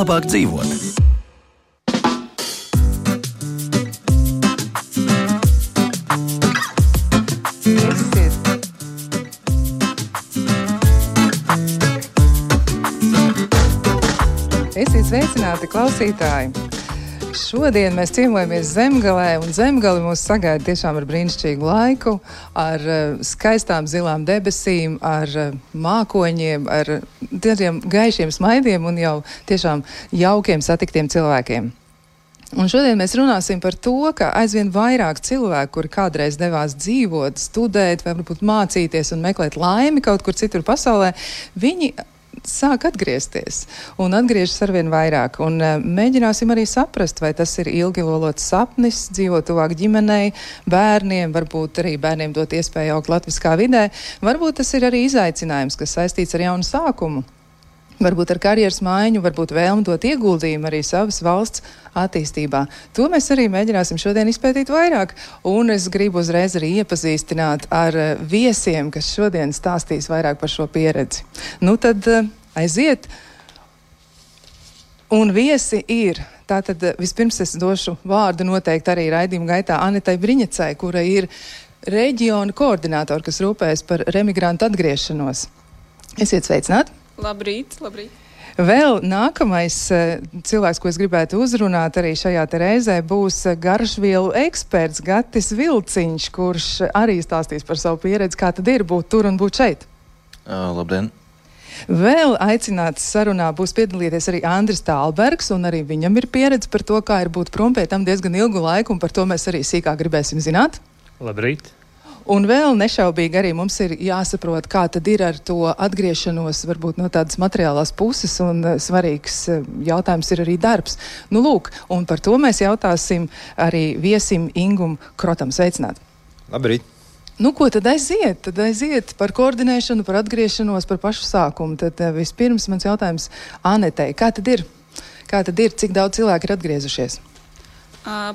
labāk dzīvot. Esiet sveicināti, klausītāji! Šodien mēs ciemojamies Zemgalē, un Zemgali mūs sagaida tiešām ar brīnišķīgu laiku, ar skaistām zilām debesīm, ar mākoņiem, ar tādiem gaišiem smaidiem un jau tiešām jaukiem satiktiem cilvēkiem. Un šodien mēs runāsim par to, ka aizvien vairāk cilvēku, kuri kādreiz devās dzīvot, studēt, vai varbūt mācīties un meklēt laimi kaut kur citur pasaulē, viņi sāk atgriezties un atgriežas arvien vairāk. Un mēģināsim arī saprast, vai tas ir ilgi lolots sapnis, dzīvot tuvāk ģimenei, bērniem, varbūt arī bērniem dot iespēju augt latviskā vidē. Varbūt tas ir arī izaicinājums, kas saistīts ar jaunu sākumu. Varbūt ar karjeras maiņu, varbūt vēlmi dot ieguldījumu arī savas valsts attīstībā. To mēs arī mēģināsim šodien izpētīt vairāk. Un es gribu uzreiz arī iepazīstināt ar viesiem, kas šodien stāstīs vairāk par šo pieredzi. Nu tad aiziet. Un viesi ir. Tātad vispirms es došu vārdu noteikti arī raidījuma gaitā Anetai Briņecai, kura ir reģiona koordinātori, kas rūpējas par remigrantu atgriešanos. Esiet sveicināti! Labrīt, labrīt. Vēl nākamais cilvēks, ko es gribētu uzrunāt arī šajā te reizē, būs garšvielu eksperts Gatis Vilciņš, kurš arī stāstīs par savu pieredzi, kā tad ir būt tur un būt šeit. Labdien! Vēl aicināts sarunā būs piedalīties arī Andris Tālbergs, un arī viņam ir pieredze par to, kā ir būt prom pie tam diezgan ilgu laiku, un par to mēs arī sīkāk gribēsim zināt. Labrīt! Un vēl nešaubīgi arī mums ir jāsaprot, kā tad ir ar to atgriešanos, varbūt no tādas materiālās puses, un svarīgs jautājums ir arī darbs. Nu lūk, un par to mēs jautāsim arī viesim Ingum Krotam. Sveicināt! Labrīt! Nu, ko tad aiziet? Tad aiziet par koordinēšanu, par atgriešanos, par pašu sākumu. Tad vispirms mans jautājums Anetei. Kā tad ir? Kā tad ir? Cik daudz cilvēku ir atgriezušies?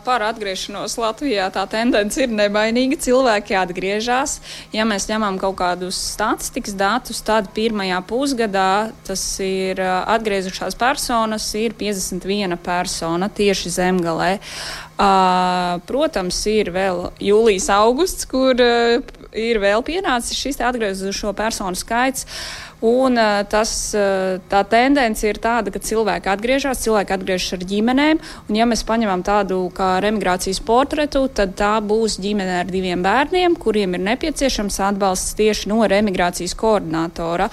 Par atgriešanos Latvijā tā tendence ir nevainīga. Cilvēki atgriežas. Ja mēs ņemam kaut kādus statistikas datus, tad pirmajā pusgadā tas ir atgriezušās personas ir 51 persona tieši Zemgalē. Protams, ir vēl jūlijas, augusts, kur ir vēl pienācis šis atgriezušo personu skaits. Un tā tendence ir tāda, ka cilvēki atgriežas ar ģimenēm, un ja mēs paņemam tādu kā remigrācijas portretu, tad tā būs ģimene ar 2 bērniem, kuriem ir nepieciešams atbalsts tieši no remigrācijas koordinātora.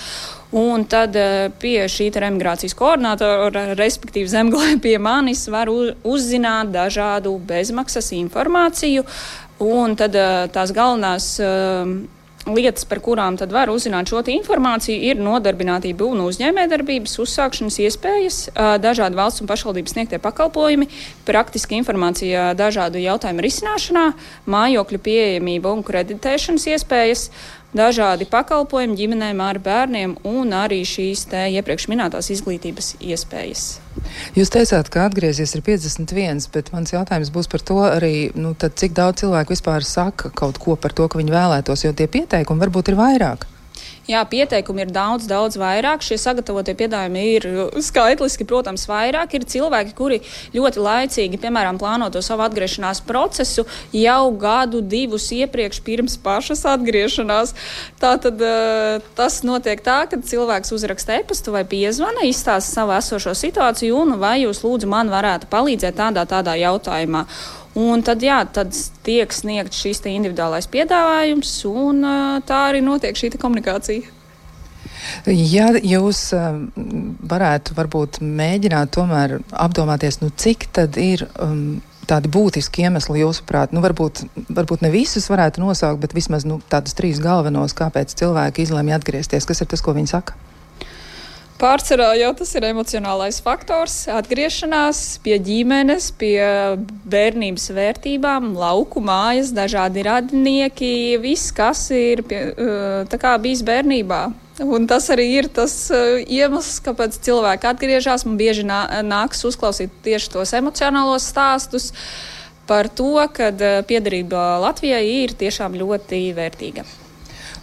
Un tad pie šī remigrācijas koordinātora, respektīvi Zemgalē pie manis, var uzzināt dažādu bezmaksas informāciju, un tad tās galvenās lietas, par kurām tad var uzzināt šo informāciju, ir nodarbinātība un uzņēmējdarbības uzsākšanas iespējas, dažādi valsts un pašvaldības sniegtie pakalpojumi, praktiska informācija dažādu jautājumu risināšanā, mājokļu pieejamība un kreditēšanas iespējas, dažādi pakalpojumi ģimenēm ar bērniem un arī šīs te iepriekš minētās izglītības iespējas. Jūs teicāt, ka atgriezies ir 51, bet mans jautājums būs par to arī, tad cik daudz cilvēku vispār saka kaut ko par to, ka viņi vēlētos, jo tie pieteikumi varbūt ir vairāk. Jā, pieteikumi ir daudz vairāk. Šie sagatavotie piedāvājumi ir skaitliski, protams, vairāk. Ir cilvēki, kuri ļoti laicīgi, piemēram, plāno to savu atgriešanās procesu jau 1-2 iepriekš pirms pašas atgriešanās. Tātad tas notiek tā, ka cilvēks uzraksta e-pastu vai piezvana, izstāsta savu esošo situāciju un vai jūs lūdzu man varētu palīdzēt tādā jautājumā. Un tad tiek sniegts šīs individuālais piedāvājums, un tā arī notiek šī komunikācija. Ja jūs varētu varbūt mēģināt tomēr apdomāties, cik tad ir tādi būtiski iemesli jūsuprāt, varbūt ne visus varētu nosaukt, bet vismaz tādus 3 galvenos, kāpēc cilvēki izlemj atgriezties. Kas ir tas, ko viņi saka? Pārsvarā jau tas ir emocionālais faktors, atgriešanās pie ģimenes, pie bērnības vērtībām, lauku mājas, dažādi radinieki, viss, kas ir bijis bērnībā. Un tas arī ir tas iemesls, kāpēc cilvēki atgriežas. Man bieži nāks uzklausīt tieši tos emocionālos stāstus par to, ka piederība Latvijai ir tiešām ļoti vērtīga.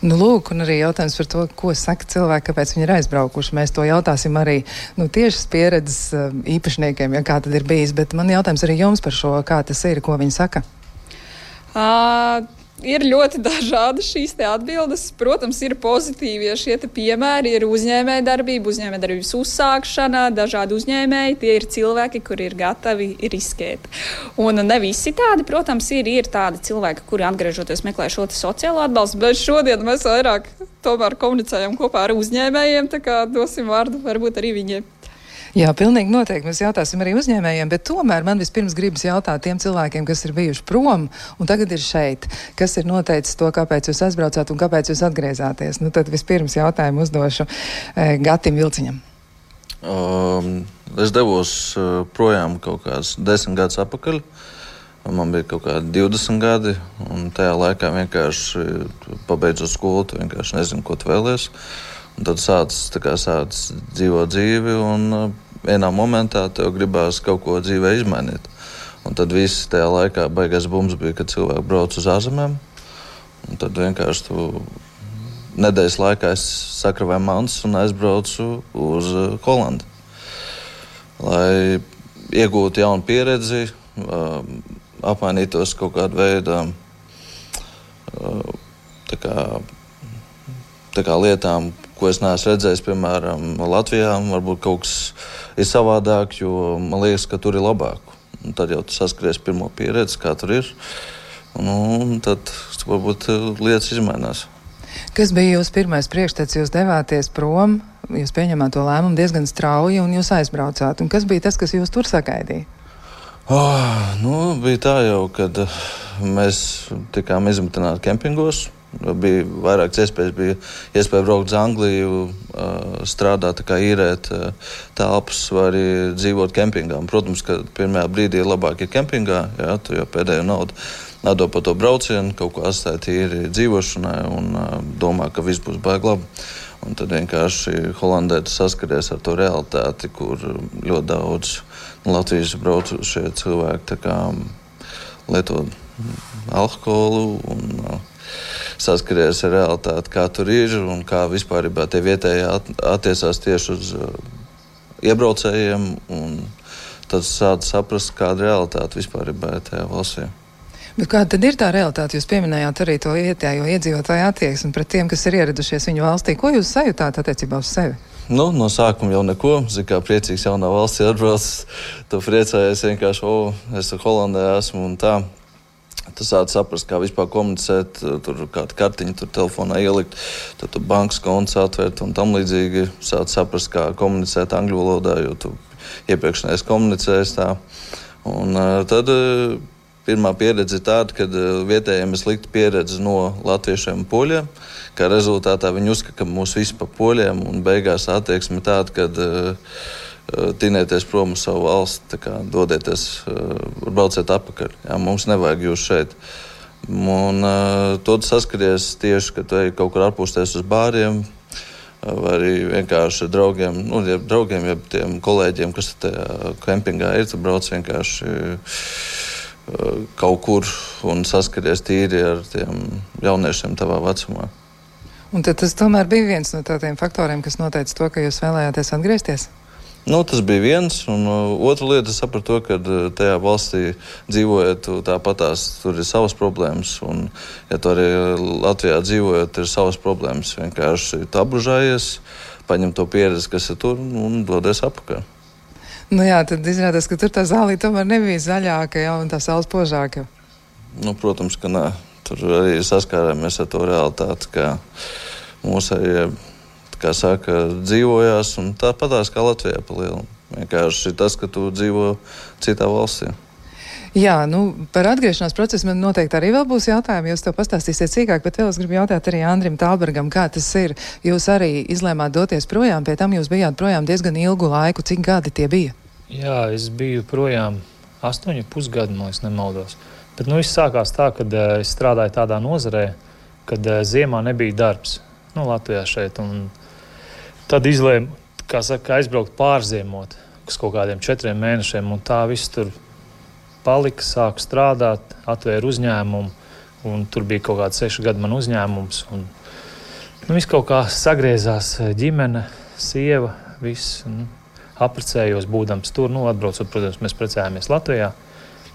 Nu, lūk, un arī jautājums par to, ko saka cilvēki, kāpēc viņi ir aizbraukuši. Mēs to jautāsim arī tiešas pieredzes īpašniekiem, ja kā tad ir bijis. Bet man jautājums arī jums par šo, kā tas ir, ko viņi saka. Ir ļoti dažādas šīs atbildes. Protams, ir pozitīvi, ja šie piemēri ir uzņēmējdarbības uzsākšana, dažādi uzņēmēji, tie ir cilvēki, kuri ir gatavi riskēt. Un ne visi tādi, protams, ir tādi cilvēki, kuri atgriežoties meklē šo sociālo atbalstu, bet šodien mēs vairāk tomēr komunicējam kopā ar uzņēmējiem, tā kā dosim vārdu varbūt arī viņiem. Jā, pilnīgi noteikti. Mēs jautāsim arī uzņēmējiem, bet tomēr man vispirms gribas jautāt tiem cilvēkiem, kas ir bijuši prom un tagad ir šeit. Kas ir noteicis to, kāpēc jūs aizbraucāt un kāpēc jūs atgriezāties? Tad vispirms jautājumu uzdošu Gatim Vilciņam. Es devos projām kaut kāds 10 gadus atpakaļ. Man bija kaut kādi 20 gadi, un tajā laikā vienkārši pabeidzot skolu, tu vienkārši nezinu, ko tu vēlies. Un tad sāc dzīvot dzīvi, un vienā momentā tev gribās kaut ko dzīvē izmainīt. Un tad viss tajā laikā baigais bums bija, kad cilvēki brauc uz ārzemēm. Un tad vienkārši tu nedēļas laikā es sakravēju mantas un aizbraucu uz Holandi. Lai iegūtu jaunu pieredzi, apmainītos kaut kādu veidu tā kā lietām, ko es neesmu redzējis, piemēram, Latvijā. Varbūt kaut kas ir savādāk, jo man liekas, ka tur ir labāk. Un tad jau tu saskaries pirmo pieredzi, kā tur ir. Un tad varbūt lietas izmainās. Kas bija jūsu pirmais priekšstats? Jūs devāties prom, jūs pieņemāt to lēmumu diezgan strauji un jūs aizbraucāt. Un kas bija tas, kas jūs tur sagaidīja? Bija tā jau, kad mēs tikām izmitināti kempingos. Bija vairākas iespējas, bija iespēja braukt uz Angliju, strādāt, īrēt telpas vai arī dzīvot kempingā. Protams, ka pirmajā brīdī ir labāk ir kempingā, jā, tu jau pēdējo naudu nādod par to braucienu, kaut ko atstāja tīri dzīvošanai un domā, ka viss būs baigi labi. Un tad vienkārši Holandē tu saskaries ar to realitāti, kur ļoti daudz Latvijas braucušie cilvēki lieto alkoholu un saskaries ar realitāti, kā tur ir un kā vispār tie vietēji attiecās tieši uz iebraucējiem. Un tad sāc saprast, kāda realitāte vispār ir tajā valstī. Bet kāda tad ir tā realitāte? Jūs pieminējāt arī to vietējo iedzīvotāju attieksmi pret tiem, kas ir ieradušies viņu valstī. Ko jūs sajūtāt attiecībā uz sevi? No sākuma jau neko. Zin, kā priecīgs jaunā valstī atbrauc, tu priecājies vienkārši, es Holandē esmu un tā. Tu sāc saprast, kā vispār komunicēt, tur kādu kartiņu tur telefonā ielikt, tad tu bankas konts atvērt un tam līdzīgi. Sāc saprast, kā komunicēt angļu valodā, jo tu iepriekš neesi komunicējis tā. Un tad pirmā pieredze ir tāda, kad vietējiem ir slikta pieredze no latviešiem un poļiem, kā rezultātā viņi uzskata, ka mūs visi pa poļiem un beigās attieksme tāda, kad tinēties prom uz savu valsti, dodieties, brauciet atpakaļ. Jā, mums nevajag jūs šeit. Un to saskaries tieši, kad tu ej kaut kur atpūsties uz bāriem, vai arī vienkārši draugiem, jeb tiem kolēģiem, kas tajā kempingā ir, tu brauc vienkārši kaut kur un saskaries tīri ar tiem jauniešiem tavā vecumā. Un tad tas tomēr bija viens no tādiem faktoriem, kas noteica to, ka jūs vēlējāties atgriezties? Tas bija viens, un otra lieta es sapratu to, ka tajā valstī dzīvojot, tāpatās tur ir savas problēmas, un ja tu arī Latvijā dzīvojot, ir savas problēmas. Vienkārši tu apbužājies, paņem to pieredzi, kas ir tur, un dodies atpakaļ. Jā, tad izrādās, ka tur tā zālī tomēr nebija zaļāka, jā, un tā saules požāka. Protams, ka nē. Tur arī saskārāmies ar to realitāti, ka mūs arī kā saka, dzīvojās, un tāpatās kā Latvijā pa lielu. Vienkārši tas, ka tu dzīvo citā valstī. Jā, par atgriešanās procesu man noteikti arī vēl būs jautājumi, jūs to pastāstīsiet sīkāk, bet vēl es gribu jautāt arī Andrim Tālbergam, kā tas ir. Jūs arī izlēmāt doties projām, pie tam jūs bijāt projām diezgan ilgu laiku. Cik gadi tie bija? Jā, es biju projām 8,5 gadu, man nemaldos. Bet viss sākās tā, kad es strādāju tādā nozarē, kad ziemā nebija darbs. Latvijā šeit. Un tad izlēmu, aizbraukt pārziemot uz kaut kādiem 4 mēnešiem, un tā viss tur palika, sāku strādāt, atvēru uzņēmumu, un tur bija kaut kāds 6 gadu man uzņēmums, un Viss kaut kā sagriezās, ģimene, sieva, viss. Apprecējos, būdams tur, atbraucot, protams, mēs precējāmies Latvijā.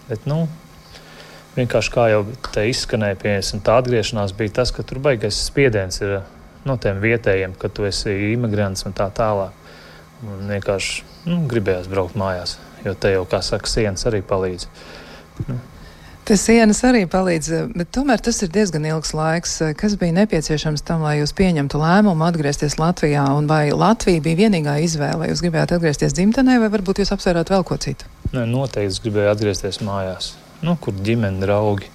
Bet, vienkārši kā jau te izskanēja, piemēram, tā atgriešanās bija tas, ka tur baigais spiediens ir no tiem vietējiem, ka tu esi imigrants un tā tālāk. Un vienkārši gribējās braukt mājās, jo te jau, kā saka, sienas arī palīdz. Te sienas arī palīdz, bet tomēr tas ir diezgan ilgs laiks. Kas bija nepieciešams tam, lai jūs pieņemtu lēmumu atgriezties Latvijā? Un vai Latvija bija vienīgā izvēle? Jūs gribējāt atgriezties dzimtenē vai varbūt jūs apsvērāt vēl ko citu? Nē, noteikti es gribēju atgriezties mājās. Kur ģimene, draugi.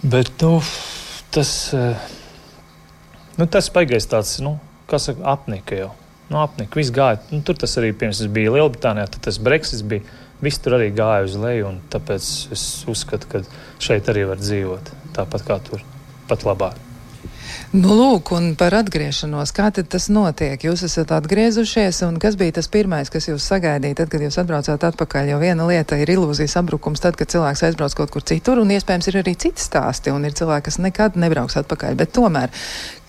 Bet, tas baigais tāds, kā saka, apnika jau. Apnika, viss gāja. Tur tas arī, pirms es biju Lielbritānijā, tad tas Brexits bija. Viss tur arī gāja uz leju, un tāpēc es uzskatu, ka šeit arī var dzīvot tāpat kā tur, pat labāk. Lūk, un par atgriešanos, kā tad tas notiek? Jūs esat atgriezušies, un kas bija tas pirmais, kas jūs sagaidīja, tad, kad jūs atbraucāt atpakaļ? Jo viena lieta ir ilūzijas sabrukums tad, kad cilvēks aizbrauc kaut kur citur, un iespējams ir arī citi stāsti, un ir cilvēki, kas nekad nebrauks atpakaļ. Bet tomēr,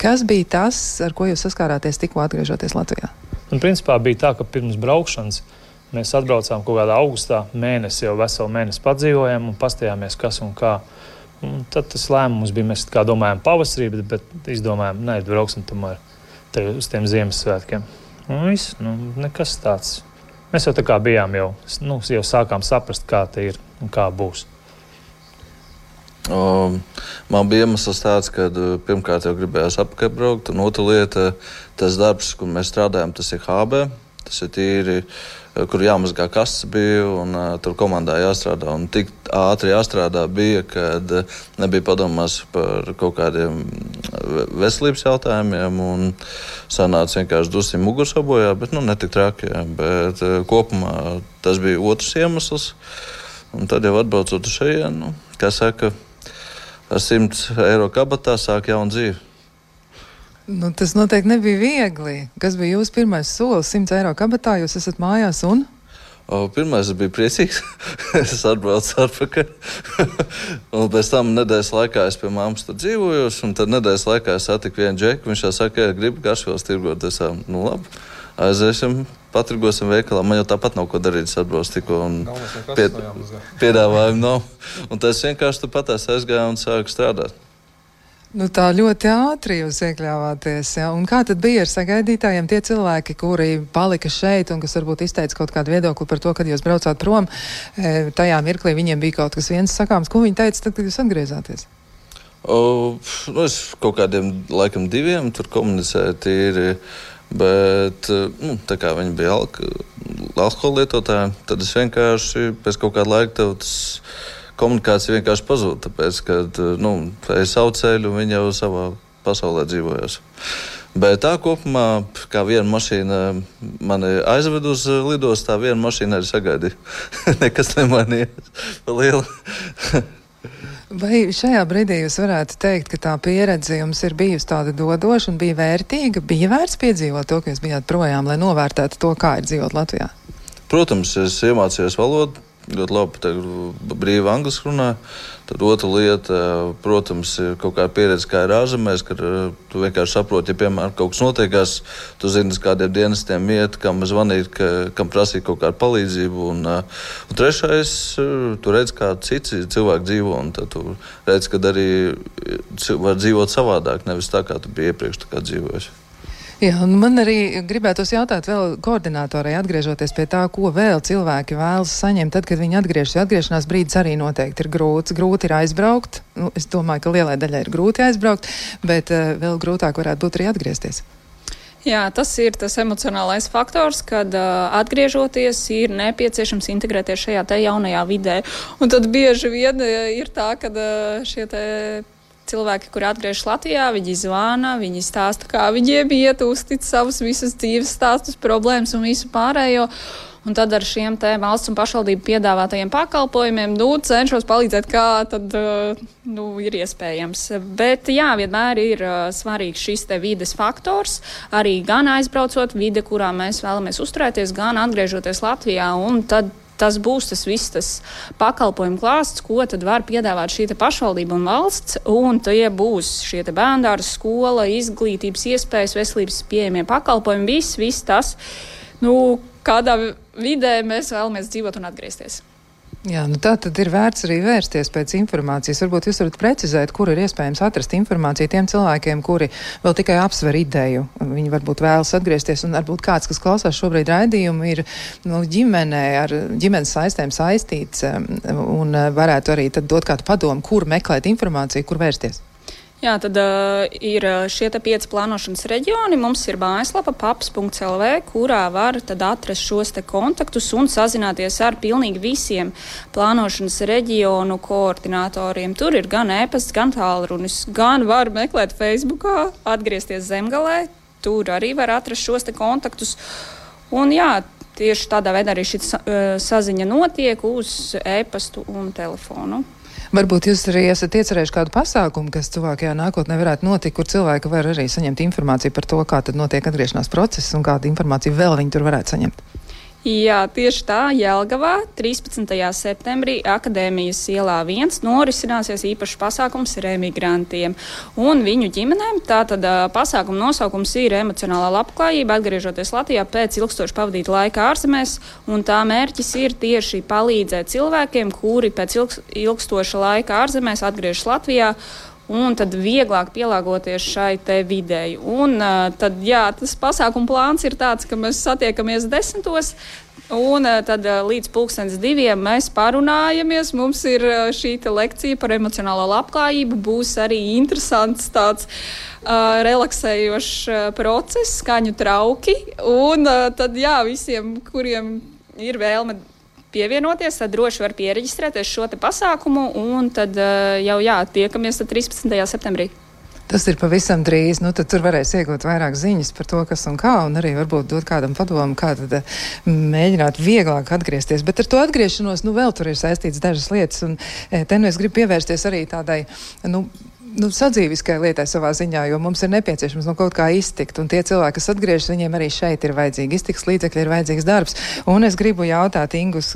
kas bija tas, ar ko jūs saskārāties tikko atgriežoties Latvijā? Principā bija tā, ka pirms braukšanas mēs atbraucām kaut kādā augustā, jau veselu mēnesi padzīvojām un pastījāmies, kas un kā. Un tad tas lēmums bija, mēs kā domājām pavasarī, bet izdomājām, brauksim tomēr uz tiem Ziemassvētkiem. Un viss, nekas tāds. Mēs jau tā kā bijām jau sākām saprast, kā te ir un kā būs. Man bija iemesls tāds, ka pirmkārt jau gribējās atpakaļ braukt, un otra lieta, tas darbs, kur mēs strādājam, tas ir HB. Tas ir tīri, kur jāmazgā kastes bija, un tur komandā jāstrādā. Un tik ātri jāstrādā bija, kad nebija padomās par kaut kādiem veselības jautājumiem, un sanāca vienkārši dusim muguras sabojā, bet ne tik traki. Bet kopumā tas bija otrs iemesls, un tad jau atbraucot uz šejienu, kā saka, ar 100 eiro kabatā sāk jaunu dzīvi. Tas noteikti nebija viegli. Kas bija jūsu pirmais solis? 100 eiro kabatā, jūs esat mājās un? Pirmais es biju priecīgs. Es atbraucu atpakaļ. Un pēc tam nedēļas laikā es pie mammas tur dzīvojos, un tad nedēļas laikā es satiku vienu džeku. Viņš jau saka, ja gribi garšvielas tirgot. Es saku, labi, aiziesim, patirgosim veikalā. Man jau tāpat nav ko darīt, es atbraucu tikko un piedāvājumu nav. Un tad es vienkārši turpat aizgāju un sāku strādāt. Tā ļoti ātri jūs iekļāvāties, ja? Un kā tad bija ar sagaidītājiem tie cilvēki, kuri palika šeit un kas varbūt izteica kaut kādu viedokli par to, kad jūs braucāt prom? Tajā mirklī viņiem bija kaut kas viens sakāms. Ko viņi teica tad, kad jūs atgriezāties? Es kaut kādiem laikam 2 tur komunicēju tīri, bet tā kā viņi bija alkohola lietotāji, tad es vienkārši pēc kaut kāda laika komunikācija vienkārši pazūd, tāpēc, ka ej savu ceļu un viņi jau savā pasaulē dzīvojas. Bet tā kopumā, kā viena mašīna mani aizved uz lidostu, tā viena mašīna arī sagaidīja. Nekas nemainījās pa lielu. Vai šajā brīdī jūs varētu teikt, ka tā pieredze jums ir bijusi tāda dodoša un bija vērtīga? Bija vērts piedzīvot to, ka jūs bijāt projām, lai novērtētu to, kā ir dzīvot Latvijā? Protams, es iemācījos valodu. Ļoti labi, brīvi angliski runāju. Tad otra lieta, protams, ir kaut kāda pieredze, kā ir ārzemēs, kad tu vienkārši saproti, ja, piemēram, kaut kas notiekās, tu zini, kādiem dienestiem iet, kam zvanīt, kam prasīt kaut kādu palīdzību. Un trešais, tu redz, kā citi cilvēki dzīvo, un tad tu redz, ka arī var dzīvot savādāk, nevis tā, kā tu biji iepriekš tā kā dzīvojusi. Jā, un man arī gribētos jautāt vēl koordinātorai, atgriežoties pie tā, ko vēl cilvēki vēlas saņemt, tad, kad viņi atgriežas. Atgriešanās brīdis arī noteikti ir grūts. Grūti ir aizbraukt. Es domāju, ka lielai daļai ir grūti aizbraukt, bet vēl grūtāk varētu būt arī atgriezties. Jā, tas ir tas emocionālais faktors, kad atgriežoties ir nepieciešams integrēties šajā te jaunajā vidē. Un tad bieži vien ir tā, ka šie te cilvēki, kuri atgriežas Latvijā, viņi zvana, viņi stāsta, kā viņiem iet, uztic savus visus dzīves stāstus, problēmas un visu pārējo. Un tad ar šiem te valsts un pašvaldību piedāvātajiem pakalpojumiem cenšos palīdzēt, kā tad ir iespējams. Bet jā, vienmēr ir svarīgs šis te vides faktors, arī gan aizbraucot vide, kurā mēs vēlamies uzturēties, gan atgriežoties Latvijā, un tad tas būs tas viss tas pakalpojumu klāsts, ko tad var piedāvāt šī pašvaldība un valsts, un tie būs šie bērndārzi, skola, izglītības iespējas, veselības pieejamie pakalpojumi, viss tas, kādā vidē mēs vēlamies dzīvot un atgriezties. Jā, tā tad ir vērts arī vērsties pēc informācijas. Varbūt jūs varat precizēt, kur ir iespējams atrast informāciju tiem cilvēkiem, kuri vēl tikai apsver ideju. Viņi varbūt vēlas atgriezties, un varbūt kāds, kas klausās šobrīd raidījumu, ir ģimenē ar ģimenes saistēm saistīts un varētu arī tad dot kādu padomu, kur meklēt informāciju, kur vērsties. Jā, tad ir šie 5 plānošanas reģioni. Mums ir mājaslapa paps.lv, kurā var tad atrast šos kontaktus un sazināties ar pilnīgi visiem plānošanas reģionu koordinatoriem. Tur ir gan e-pasts, gan tālrunis, gan var meklēt Facebookā, atgriezties Zemgalē. Tur arī var atrast šos kontaktus. Un jā, tieši tādā veidā arī šī saziņa notiek uz e-pastu un telefonu. Varbūt jūs arī esat iecerējuši kādu pasākumu, kas tuvākajā nākotnē varētu notikt, kur cilvēki var arī saņemt informāciju par to, kā tad notiek atgriešanās process un kādu informāciju vēl viņi tur varētu saņemt. Jā, tieši tā, Jelgavā 13. septembrī Akadēmijas ielā 1 norisināsies īpašs pasākums remigrantiem un viņu ģimenēm. Tātad pasākuma nosaukums ir emocionālā labklājība, atgriežoties Latvijā pēc ilgstoši pavadīta laika ārzemēs, un tā mērķis ir tieši palīdzēt cilvēkiem, kuri pēc ilgstoša laika ārzemēs atgriežas Latvijā, un tad vieglāk pielāgoties šai te videi. Un tad, jā, tas pasākuma plāns ir tāds, ka mēs satiekamies 10. Un tad līdz 2:00 mēs parunājamies. Mums ir šī lekcija par emocionālo labklājību. Būs arī interesants tāds relaksējošs process, skaņu trauki. Un tad, jā, visiem, kuriem ir vēlme pievienoties, tad droši var piereģistrēties šo pasākumu, un tad jau tiekamies 13. septembrī. Tas ir pavisam drīz, tad tur varēs iegūt vairāk ziņas par to, kas un kā, un arī varbūt dot kādam padomu, kā tad mēģināt vieglāk atgriezties. Bet ar to atgriešanos, vēl tur ir saistīts dažas lietas, un te es gribu pievērsties arī tādai, sadzīviskai lietai savā ziņā, jo mums ir nepieciešams kaut kā iztikt, un tie cilvēki, kas atgriežas, viņiem arī šeit ir vajadzīgi iztiks līdzekļi, ir vajadzīgs darbs. Un es gribu jautāt Ingus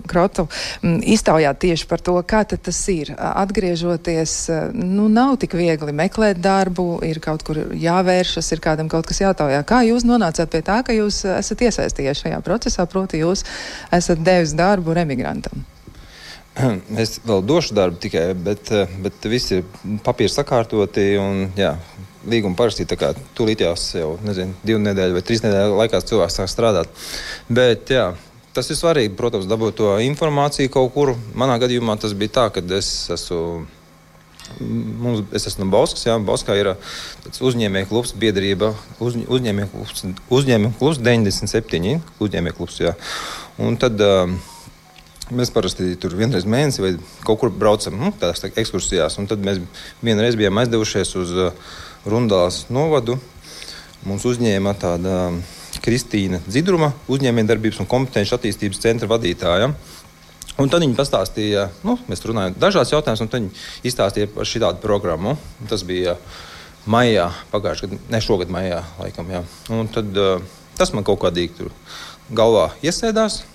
Krotu, iztaujāt tieši par to, kā tad tas ir. Atgriežoties, nav tik viegli meklēt darbu, ir kaut kur jāvēršas, ir kādam kaut kas jātaujā. Kā jūs nonācāt pie tā, ka jūs esat iesaistījies šajā procesā, proti jūs esat devis darbu remigrantam? Es vēl došu darbu tikai, bet visi ir papīri sakārtoti un, jā, līguma parakstīt, tā kā tūlītjās jau, 2 nedēļu vai 3 nedēļu laikā cilvēks sāk strādāt. Bet, jā, tas ir svarīgi, protams, dabūt to informāciju kaut kur. Manā gadījumā tas bija tā, kad es esmu no Bauskas, jā, Bauskā ir tāds uzņēmēju klubs, biedrība, uzņēmēju klubs 97, uzņēmēju klubs, jā. Un tad mēs parasti tur vienreiz mēnesi vai kaut kur braucam tādās ekskursijās, un tad mēs vienreiz bijām aizdevušies uz Rundāles novadu. Mums uzņēma tāda Kristīna Dzidruma, uzņēmējdarbības un kompetenci attīstības centra vadītāja. Un tad viņi pastāstīja, mēs runājam dažādas jautājumas, un tad viņi izstāstīja par šitādu programmu. Tas bija maijā, pagājušajā gadā, ne šogad maijā laikam, jā. Un tad tas man kaut kādīgi tur galvā iesēdās.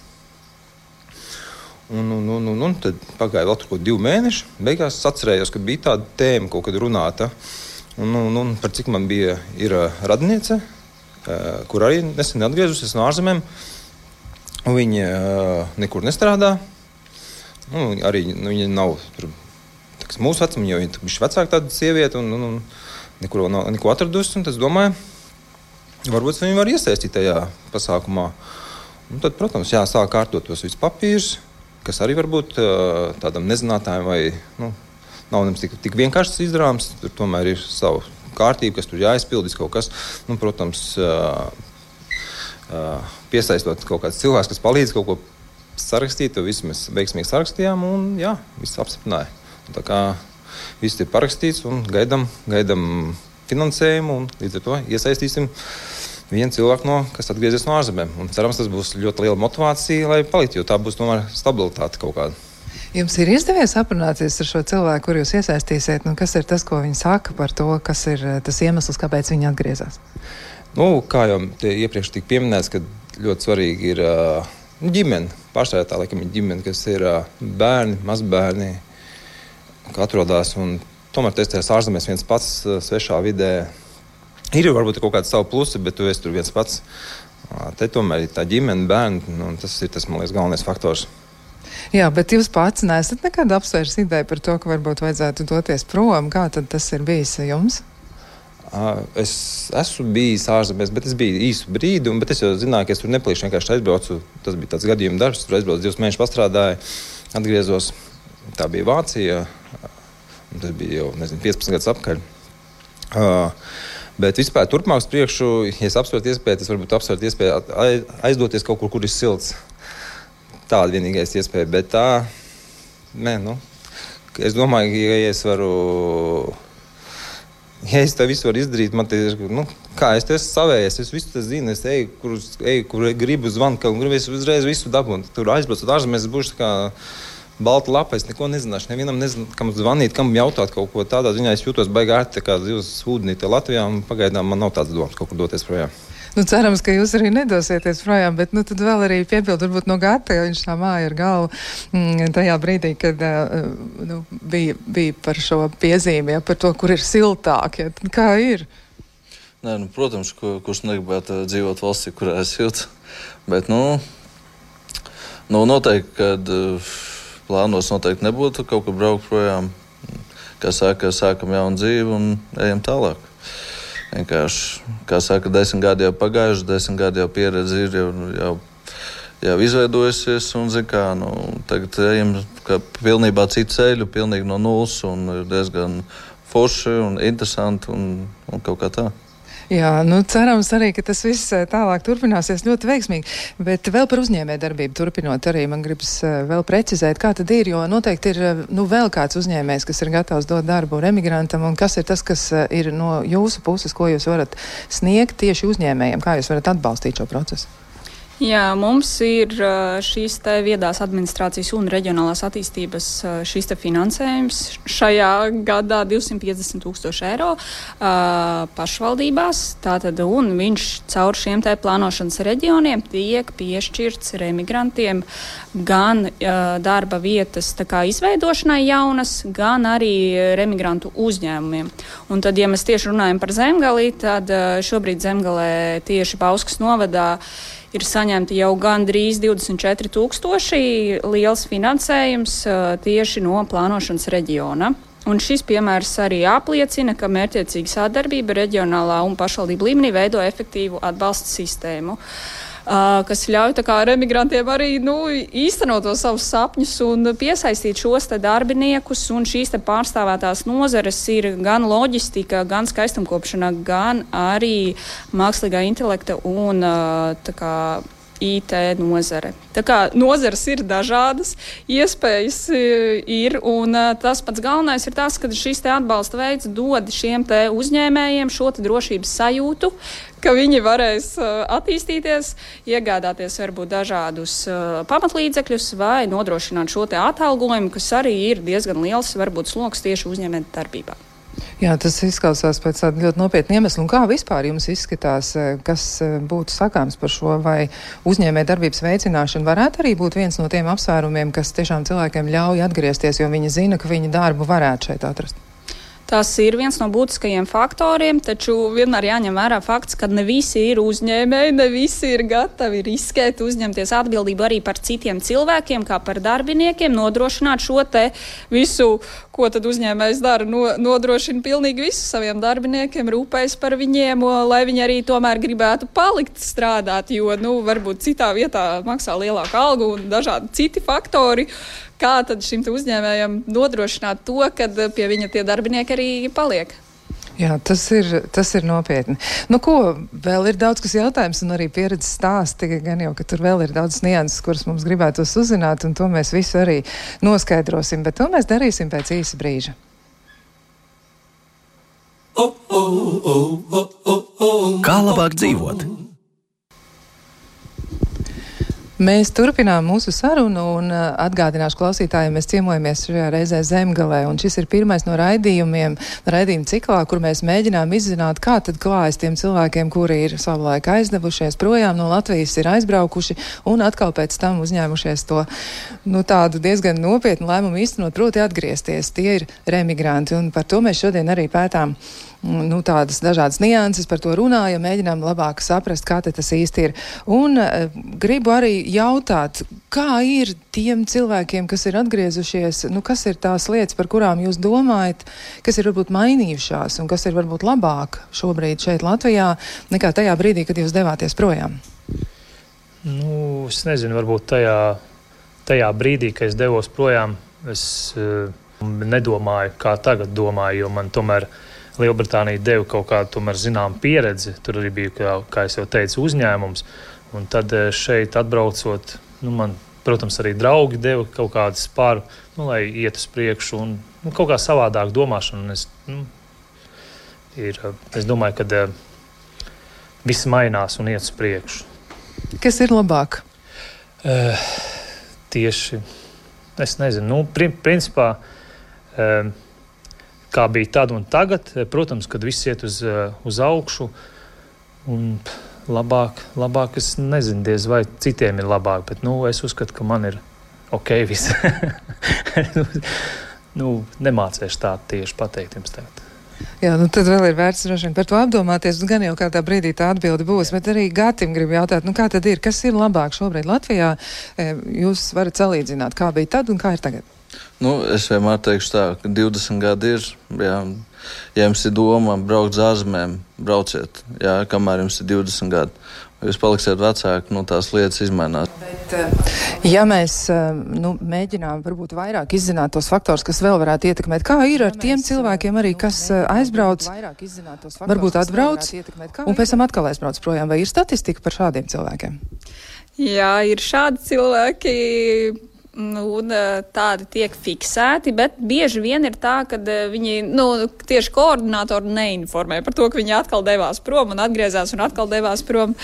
Un tad pagāja vēl tur 2 mēneši. Beigās atcerējos, ka bija tāda tēma kaut kad runāta. Un par cik man ir radiniece, kur arī nesen atgriezusies no ārzemēm. Viņa nekur nestrādā. Arī viņa nav tur, mūsu vecuma, jo viņa bija vecāka tāda sieviete un nekur nav neko atradusi. Un tas domāju, varbūt viņa var iesaistīt tajā pasākumā. Un tad, protams, sāk kārtot tos visus papīrus, kas arī varbūt tādam nezinātājam vai nav nemaz tik vienkāršs izdarāms. Tur tomēr ir sava kārtība, kas tur jāizpildīs kaut kas. Protams, piesaistot kaut kāds cilvēks, kas palīdz kaut ko sarakstīt, to visu mēs veiksmīgi sarakstījām un viss apstiprināja. Tā kā viss ir parakstīts un gaidam finansējumu un līdz ar to iesaistīsim vienu cilvēku, kas atgriezies no ārzemēm. Un cerams, tas būs ļoti liela motivācija, lai paliktu, jo tā būs tomēr stabilitāte kaut kāda. Jums ir izdevies aprunāties ar šo cilvēku, kur jūs iesaistīsiet? Kas ir tas, ko viņi saka par to, kas ir tas iemesls, kāpēc viņi atgriezās? Kā jau iepriekš tika pieminēts, ka ļoti svarīgi ir ģimene. Pārsvarā tā laikam ir ģimene, kas ir bērni, mazbērni, kā atrodas. Un tomēr tu esi tajās ārzemēs viens pats, svešā vidē. Ir varbūt kaut kāds savu plusi, bet tu esi tur viens pats. Te tomēr ir tā ģimene, bērni, un tas ir tas, man liekas, galvenais faktors. Jā, bet jūs pats neesat nekad apsvērs ideju par to, ka varbūt vajadzētu doties prom. Kā tad tas ir bijis jums? Es esmu bijis ārzemēs, bet es biju īsu brīdi, bet es jau zināju, ka es tur nepalīšu, vienkārši aizbraucu. Tas bija tāds gadījuma darbs, tur aizbraucu 2 mēnešus pastrādāju, atgriezos. Tā bija Vācija, tas bija jau, 15 gadus apkaļ. Bet vispār turpmāk uz priekšu, ja es apsvērtu iespēju, tas varbūt apsvērtu iespēju aizdoties kaut kur ir silts. Tāda vienīgais iespēja, bet tā, es domāju, ja es varu, ja es to visu varu izdarīt, man te ir, kā es te esmu savējies, es visu tas zinu, es eju, kur gribu zvanu, un gribu uzreiz visu dabūt. Tur aizbraucot ārzemēs, es būšu tā kā balta lapa, es neko nezināšu, nevienam nezinu, kam zvanīt, kam jautāt kaut ko tādā ziņā, es jūtos baigi ērti, tā kā zivs ūdenīte Latvijā, un pagaidām man nav tāds domas kaut kur doties projām. Cerams, ka jūs arī nedosieties projām, bet tad vēl arī piebildu varbūt no Gata, jo viņš tā māja ar galvu tajā brīdī, kad bija par šo piezīmi, par to, kur ir siltāk. Ja, kā ir? Nē, protams, kurš negribētu dzīvot valstī, kurā ir silts, bet, noteikti, kad plānos noteikti nebūtu kaut kur braukt projām, kā saka, sākam jaunu dzīvi un ejam tālāk. Vienkārši, kā saka, 10 gadi jau pagājuši, 10 gadi jau pieredze ir jau izveidojusies, un, tagad ejam pilnībā citu ceļu, pilnīgi no nulles, un ir diezgan forši un interesanti, un kaut kā tā. Jā, cerams arī, ka tas viss tālāk turpināsies ļoti veiksmīgi, bet vēl par uzņēmējdarbību turpinot arī man gribas vēl precizēt, kā tad ir, jo noteikti ir vēl kāds uzņēmējs, kas ir gatavs dot darbu remigrantam, un kas ir tas, kas ir no jūsu puses, ko jūs varat sniegt tieši uzņēmējiem, kā jūs varat atbalstīt šo procesu? Jā, mums ir šīs te viedās administrācijas un reģionālās attīstības šīs te finansējums. Šajā gadā 250,000 eiro pašvaldībās. Tātad, un viņš caur šiem te plānošanas reģioniem tiek piešķirts remigrantiem gan darba vietas tā kā izveidošanai jaunas, gan arī remigrantu uzņēmumiem. Un tad, ja mēs tieši runājam par Zemgali, tad šobrīd Zemgalē tieši Bauskas novadā ir saņemti jau gandrīz 24,000 liels finansējums tieši no plānošanas reģiona. Un šis piemērs arī apliecina, ka mērķiecīga sadarbība reģionālā un pašvaldību līmenī veido efektīvu atbalsta sistēmu, kas ļauj tā kā remigrantiem arī īstenot tos savus sapņus un piesaistīt šos te darbiniekus. Un šīs te pārstāvētās nozares ir gan loģistika, gan skaistumkopšana, gan arī mākslīgā intelekta un tā kā IT nozare. Tā kā nozares ir dažādas, iespējas ir, un tas pats galvenais ir tas, ka šis te atbalsta veids dod šiem te uzņēmējiem šo te drošības sajūtu, ka viņi varēs attīstīties, iegādāties varbūt dažādus pamatlīdzekļus vai nodrošināt šo te atalgojumu, kas arī ir diezgan liels, varbūt sloks tieši uzņēmēju darbībā. Jā, tas izklausās pēc tāda ļoti nopietna iemesla. Un kā vispār jums izskatās, kas būtu sakāms par šo, vai uzņēmēju darbības veicināšana varētu arī būt viens no tiem apsvērumiem, kas tiešām cilvēkiem ļauj atgriezties, jo viņi zina, ka viņi darbu varētu šeit atrast? Tas ir viens no būtiskajiem faktoriem, taču vienmēr jāņem vērā fakts, ka ne visi ir uzņēmēji, ne visi ir gatavi riskēt, uzņemties atbildību arī par citiem cilvēkiem, kā par darbiniekiem, nodrošināt šo te visu, ko tad uzņēmējs dara, nodrošina pilnīgi visu saviem darbiniekiem, rūpējas par viņiem, lai viņi arī tomēr gribētu palikt strādāt, jo, varbūt citā vietā maksā lielāku algu un dažādi citi faktori. Kā tad šim uzņēmējam nodrošināt to, kad pie viņa tie darbinieki arī paliek? Jā, tas ir nopietni. Ko, vēl ir daudz kas jautājums un arī pieredzes stāsti, gan jau, ka tur vēl ir daudz nianses, kuras mums gribētos uzzināt, un to mēs visu arī noskaidrosim, bet to mēs darīsim pēc īsa brīža. Kā labāk dzīvot? Mēs turpinām mūsu sarunu un atgādināšu klausītājiem, mēs ciemojamies šajā reizē Zemgalē, un šis ir pirmais no raidījuma ciklā, kur mēs mēģinām izzināt, kā tad klājas tiem cilvēkiem, kuri ir savulaik aizdevušies projām no Latvijas, ir aizbraukuši un atkal pēc tam uzņēmušies to, tādu diezgan nopietnu lēmumu īstenot, proti atgriezties. Tie ir remigranti, un par to mēs šodien arī pētām tādas dažādas nianses, par to runājam, mēģinām labāk saprast, kā tas īsti ir. Un gribu arī jautāt, kā ir tiem cilvēkiem, kas ir atgriezušies, kas ir tās lietas, par kurām jūs domājat, kas ir varbūt mainījušās un kas ir varbūt labāk šobrīd šeit Latvijā, nekā tajā brīdī, kad jūs devāties projām? Es nezinu, varbūt tajā brīdī, kad es devos projām, es nedomāju, kā tagad domāju, jo man tomēr Lielbritānija deva kaut kādu zinām pieredzi. Tur arī bija, kā es jau teicu, uzņēmums. Un tad šeit atbraucot, man, protams, arī draugi deva kaut kādu spāru, lai iet uz priekšu un kaut kā savādāk domāšana. Es domāju, ka viss mainās un iet uz priekšu. Kas ir labāk? Tieši, es nezinu, principā, kā bija tad un tagad, protams, kad viss iet uz augšu, un labāk es nezinu, diez vai citiem ir labāk, bet, es uzskatu, ka man ir ok viss. Nemācēšu tā tieši pateikt jums tagad. Jā, tad vēl ir vērts droši vien par to apdomāties, gan jau kādā brīdī tā atbilde būs, bet arī Gatim gribu jautāt, kā tad ir, kas ir labāk šobrīd Latvijā? Jūs varat salīdzināt, kā bija tad un kā ir tagad? Es vienmēr teikšu tā, ka 20 gadi ir, ja jums ir doma braukt uz ārzemēm, brauciet, kamēr jums ir 20 gadi. Jūs paliksiet vecāki, tās lietas izmainās. Bet, ja mēs mēģinām varbūt vairāk izzināt tos faktors, kas vēl varētu ietekmēt, kā ir ar tiem cilvēkiem arī, kas aizbrauc, varbūt atbrauc un pēc tam atkal aizbrauc projām, vai ir statistika par šādiem cilvēkiem? Jā, ir šādi cilvēki. Un tādi tiek fiksēti, bet bieži vien ir tā, ka viņi, tieši koordinātori neinformē par to, ka viņi atkal devās prom un atgriezās un atkal devās prom.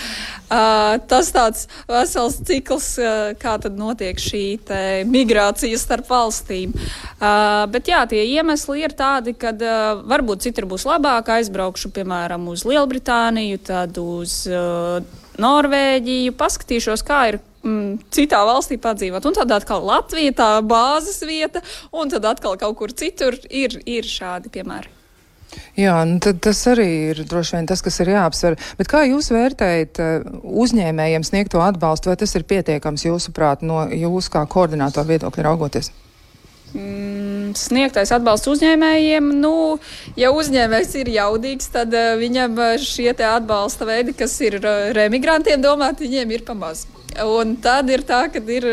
Tas tāds vesels cikls, kā tad notiek šī migrācija starp valstīm. Bet jā, tie iemesli ir tādi, kad varbūt citur būs labāk, aizbraukšu, piemēram, uz Lielbritāniju, tad uz Norvēģiju, paskatīšos, kā ir citā valstī padzīvot. Un tad atkal Latvija, tā bāzes vieta, un tad atkal kaut kur citur ir šādi piemēri. Jā, tad tas arī ir droši vien tas, kas ir jāapsver. Bet kā jūs vērtējat uzņēmējiem sniegto atbalstu, vai tas ir pietiekams jūsuprāt no jūs kā koordinātoru viedokļa raugoties? Sniegtais atbalsts uzņēmējiem, ja uzņēmējs ir jaudīgs, tad viņam šie te atbalsta veidi, kas ir remigrantiem domāti, viņiem ir pamaz. Un tad ir tā, ka ir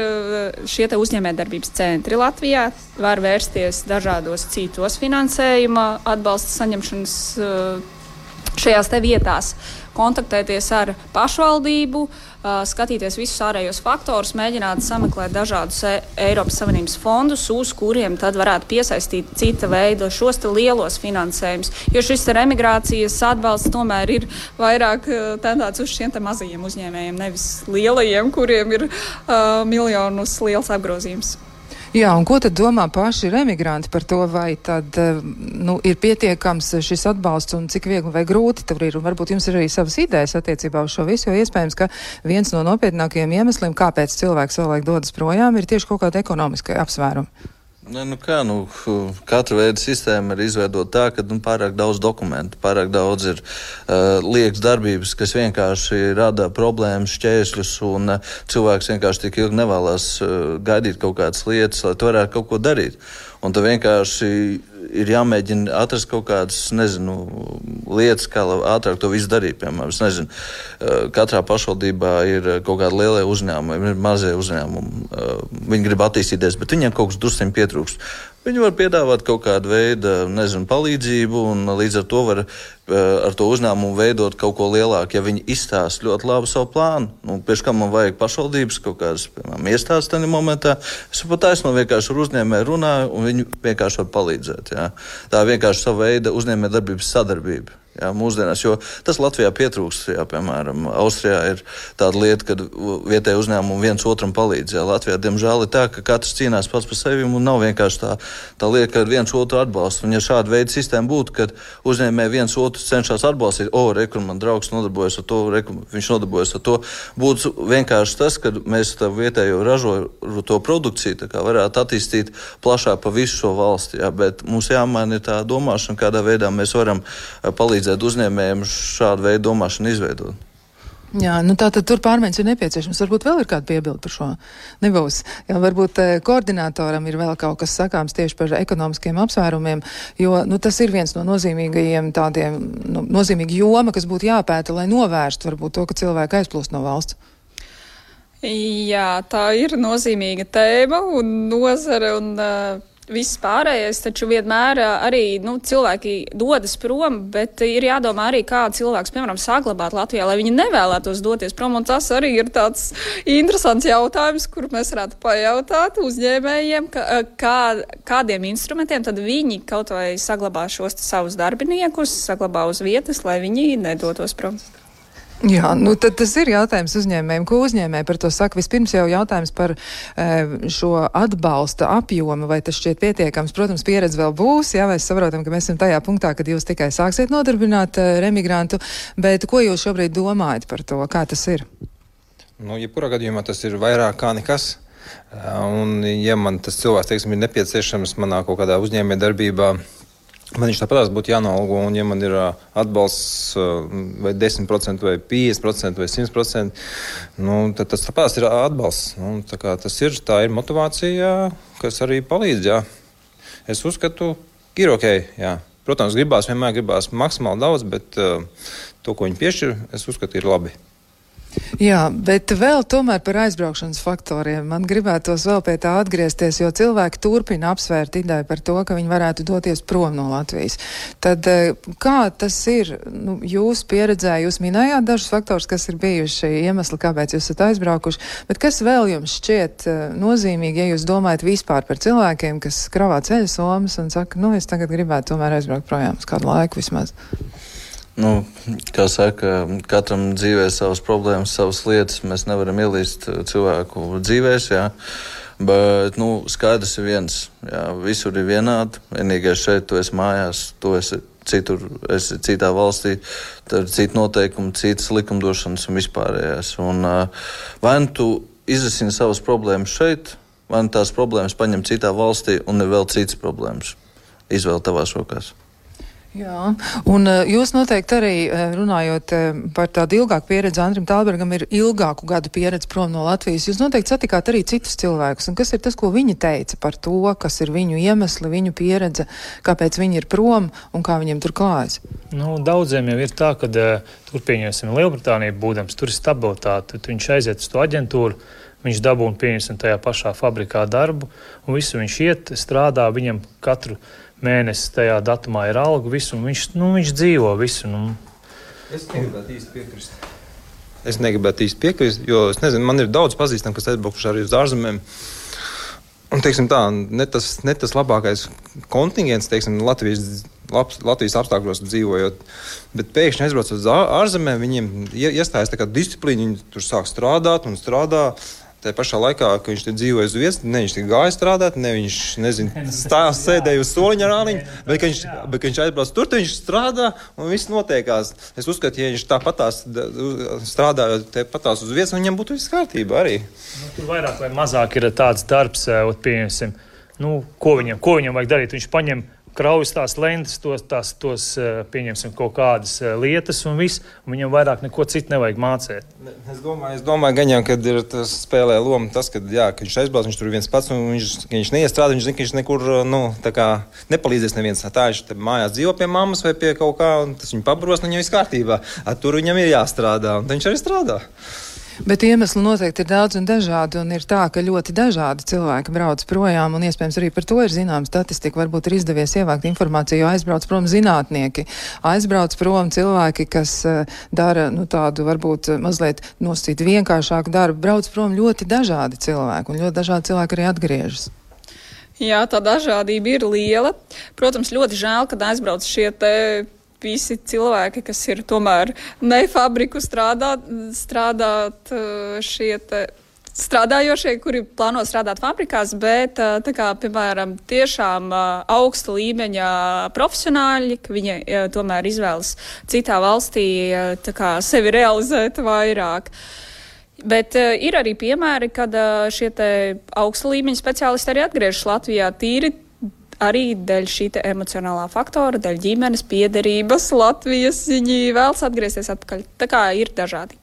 šie te uzņēmējdarbības centri Latvijā, var vērsties dažādos citos finansējuma atbalsta saņemšanas šajās te vietās, kontaktēties ar pašvaldību, skatīties visus ārējos faktorus, mēģināt sameklēt dažādus Eiropas Savienības fondus, uz kuriem tad varētu piesaistīt cita veida šos te lielos finansējumus. Jo šis te emigrācijas atbalsts tomēr ir vairāk tendēts uz šiem te mazajiem uzņēmējiem, nevis lielajiem, kuriem ir miljonus liels apgrozījums. Jā, un ko tad domā paši remigranti par to, vai tad ir pietiekams šis atbalsts un cik viegli vai grūti tur ir? Un varbūt jums ir arī savas idejas attiecībā uz šo visu, jo iespējams, ka viens no nopietnākajiem iemesliem, kāpēc cilvēks savulaik dodas projām, ir tieši kaut kāda ekonomiska apsvēruma. Katra veida sistēma ir izveidota tā, ka pārāk daudz dokumentu, pārāk daudz ir liekas darbības, kas vienkārši rada problēmas, šķēršļus, un cilvēks vienkārši tik ilgi nevēlas gaidīt kaut kādas lietas, lai tu varētu kaut ko darīt. Un tad vienkārši ir jāmēģina atrast kaut kādas, lietas, kā ātrāk to visu darīt. Piemēram, katrā pašvaldībā ir kaut kādi lielie uzņēmumi, ir mazie uzņēmumi. Viņi grib attīstīties, bet viņiem kaut kas drusciņ pietrūkst. Viņi var piedāvāt kaut kādu veidu, palīdzību, un līdz ar to var ar to uzņēmumu veidot kaut ko lielāku, ja viņi izstāsta ļoti labu savu plānu. Pēc kam man vajag pašvaldības kaut kādas, piemēram, iestādes tajā momentā. Es pat taisno vienkārši ar uzņēmēju runāju, un viņi vienkārši var palīdzēt. Jā. Tā vienkārši sava veida uzņēmējdarbības sadarbība. Jā, mūsdienās, jo tas Latvijā pietrūkst, jā, piemēram, Austrijā ir tāda lieta, kad vietēji uzņēmumi viens otram palīdz. Jā, Latvijā, diemžēl, ir tā, ka katrs cīnās pats par sevi un nav vienkārši tā lieta, ka viens otru atbalsta. Un ja šāda veida sistēma būtu, kad uzņēmēji viens otru cenšas atbalstīt, rekur, man draugs nodarbojas ar to, viņš nodarbojas ar to, būtu vienkārši tas, ka mēs tā vietējo ražoto produkciju tā kā varētu attīstīt plašāk pa visu šo valsti. Jā, bet mums jāmaina tā domāšana, kādā veidā mēs varam palīdzēt uzņēmējiem šādu veidu domāšanu izveidot. Jā, tātad tur pārmaiņas ir nepieciešams. Varbūt vēl ir kāda piebilda par šo? Nebūs. Jā, varbūt koordinātoram ir vēl kaut kas sakāms tieši par ekonomiskiem apsvērumiem, jo, tas ir viens no nozīmīgajiem tādiem, nozīmīga joma, kas būtu jāpēta, lai novērstu varbūt to, ka cilvēki aizplūst no valsts. Jā, tā ir nozīmīga tēma un nozare un viss pārējais, taču vienmēr arī cilvēki dodas prom, bet ir jādomā arī, kā cilvēks, piemēram, saglabāt Latvijā, lai viņi nevēlētos doties prom, un tas arī ir tāds interesants jautājums, kur mēs varētu pajautāt uzņēmējiem, kādiem instrumentiem tad viņi kaut vai saglabā šos savus darbiniekus, saglabā uz vietas, lai viņi nedotos prom. Jā, tad tas ir jautājums uzņēmējiem. Ko uzņēmēji par to saka? Vispirms jau jautājums par šo atbalsta apjomu, vai tas šķiet pietiekams. Protams, pieredze vēl būs, jā, mēs saprotam, ka mēs esam tajā punktā, kad jūs tikai sāksiet nodarbināt remigrantu, bet ko jūs šobrīd domājat par to? Kā tas ir? Jebkurā gadījumā tas ir vairāk kā nekas. Un, ja man tas cilvēks, teiksim, ir nepieciešams manā kaut kādā uzņēmē darbībā, man viņš tāpatās būtu jānolgo, un ja man ir atbalsts vai 10%, vai 50%, vai 100%, tad tas tāpatās ir atbalsts. Tā ir motivācija, kas arī palīdz, jā. Es uzskatu, ir ok, jā. Protams, vienmēr gribās maksimāli daudz, bet to, ko viņi piešķir, es uzskatu, ir labi. Jā, bet vēl tomēr par aizbraukšanas faktoriem. Man gribētos vēl pie tā atgriezties, jo cilvēki turpina apsvērt ideju par to, ka viņi varētu doties prom no Latvijas. Tad kā tas ir? Jūs pieredzē, jūs minējāt dažus faktors, kas ir bijuši iemesli, kāpēc jūs esat aizbraukuši, bet kas vēl jums šķiet nozīmīgi, ja jūs domājat vispār par cilvēkiem, kas kravā ceļa somas un saka, es tagad gribētu tomēr aizbraukt projām uz kādu laiku vismaz? Kā saka, katram dzīvē savas problēmas, savas lietas. Mēs nevaram ielīst cilvēku dzīvēs, jā. Bet, skaidrs ir viens. Jā, visur ir vienādi. Vienīgais šeit, tu esi mājās, tu esi citur, esi citā valstī, tad ir cita noteikuma, citas likumdošanas un vispārējās. Un vai tu izrisini savas problēmas šeit, vai tās problēmas paņem citā valstī un ir vēl citas problēmas. Izvēle tavās rokās. Jā, un jūs noteikti arī runājot par tādu ilgāku pieredzi, Andrim Tālbergam ir ilgāku gadu pieredze prom no Latvijas. Jūs noteikti satikāt arī citus cilvēkus, un kas ir tas, ko viņi teica par to, kas ir viņu iemesli, viņu pieredze, kāpēc viņi ir prom un kā viņiem tur klājas? Daudziem jau ir tā, ka tur pieņemsim Lielbritāniju būdams, tur ir stabilitāte, viņš aiziet uz to aģentūru, viņš dabūna pieņemsim tajā pašā fabrikā darbu, un visu viņš iet, strādā, viņam katru mēnesi tajā datumā ir alga, visu, un viņš dzīvo visu. Es negribētu īsti piekrist, jo es nezinu, man ir daudz pazīstam, kas aizbraukuši arī uz ārzemēm. Un, teiksim tā, ne tas labākais kontingents, teiksim, Latvijas apstākļos dzīvojot, bet pēkšņi aizbrauc uz ārzemēm, viņiem iestājas tā kā disciplīna, viņi tur sāk strādāt un strādā. Tā pašā laikā, kad viņš te dzīvoja uz vietas, ne viņš gāja strādāt, ne viņš, sēdēja uz soliņa ar āliņu, bet kad viņš aizbrauc tur, viņš strādā un viss notiekās. Es uzskatu, ja viņš tāpatās strādāja tāpatās uz vietas, viņam būtu viss kārtībā arī. Tur vairāk vai mazāk ir tāds darbs, pieņemsim, ko viņam vajag darīt. Viņš paņem kraujas tās lentes, tos pieņemsim kaut kādas lietas un viss, un viņam vairāk neko citu nevajag mācēt. Es domāju, gan jau, kad ir tas spēlē loma tas, kad viņš aizbrauc, viņš tur viens pats, un viņš neiestrādā, viņš zina, ka viņš nekur, nepalīdzēs neviens. Tā viņš mājās dzīvo pie mammas vai pie kaut kā, un tas viņu pabros, un viņam viss kārtībā. Tur viņam ir jāstrādā, un viņš arī strādā. Bet iemesli noteikti ir daudz un dažādi, un ir tā, ka ļoti dažādi cilvēki brauc projām, un iespējams arī par to ir zināma statistika. Varbūt ir izdevies ievākt informāciju, jo aizbrauc prom zinātnieki, aizbrauc prom cilvēki, kas dara tādu varbūt mazliet nosacīt vienkāršāku darbu, brauc prom ļoti dažādi cilvēki, un ļoti dažādi cilvēki arī atgriežas. Jā, tā dažādība ir liela. Protams, ļoti žēl, kad aizbrauc šie visi cilvēki, kas ir tomēr ne fabriku strādājošie, kuri plāno strādāt fabrikās, bet, tā kā, piemēram, tiešām augsta līmeņa profesionāļi, ka viņi tomēr izvēlas citā valstī, tā kā, sevi realizēt vairāk. Bet ir arī piemēri, kad šie te augsta līmeņa speciālisti arī atgriežas Latvijā tīri arī dēļ šī emocionālā faktora, dēļ ģimenes piederības Latvijas, viņi vēlas atgriezties atpakaļ. Tā kā ir dažādi.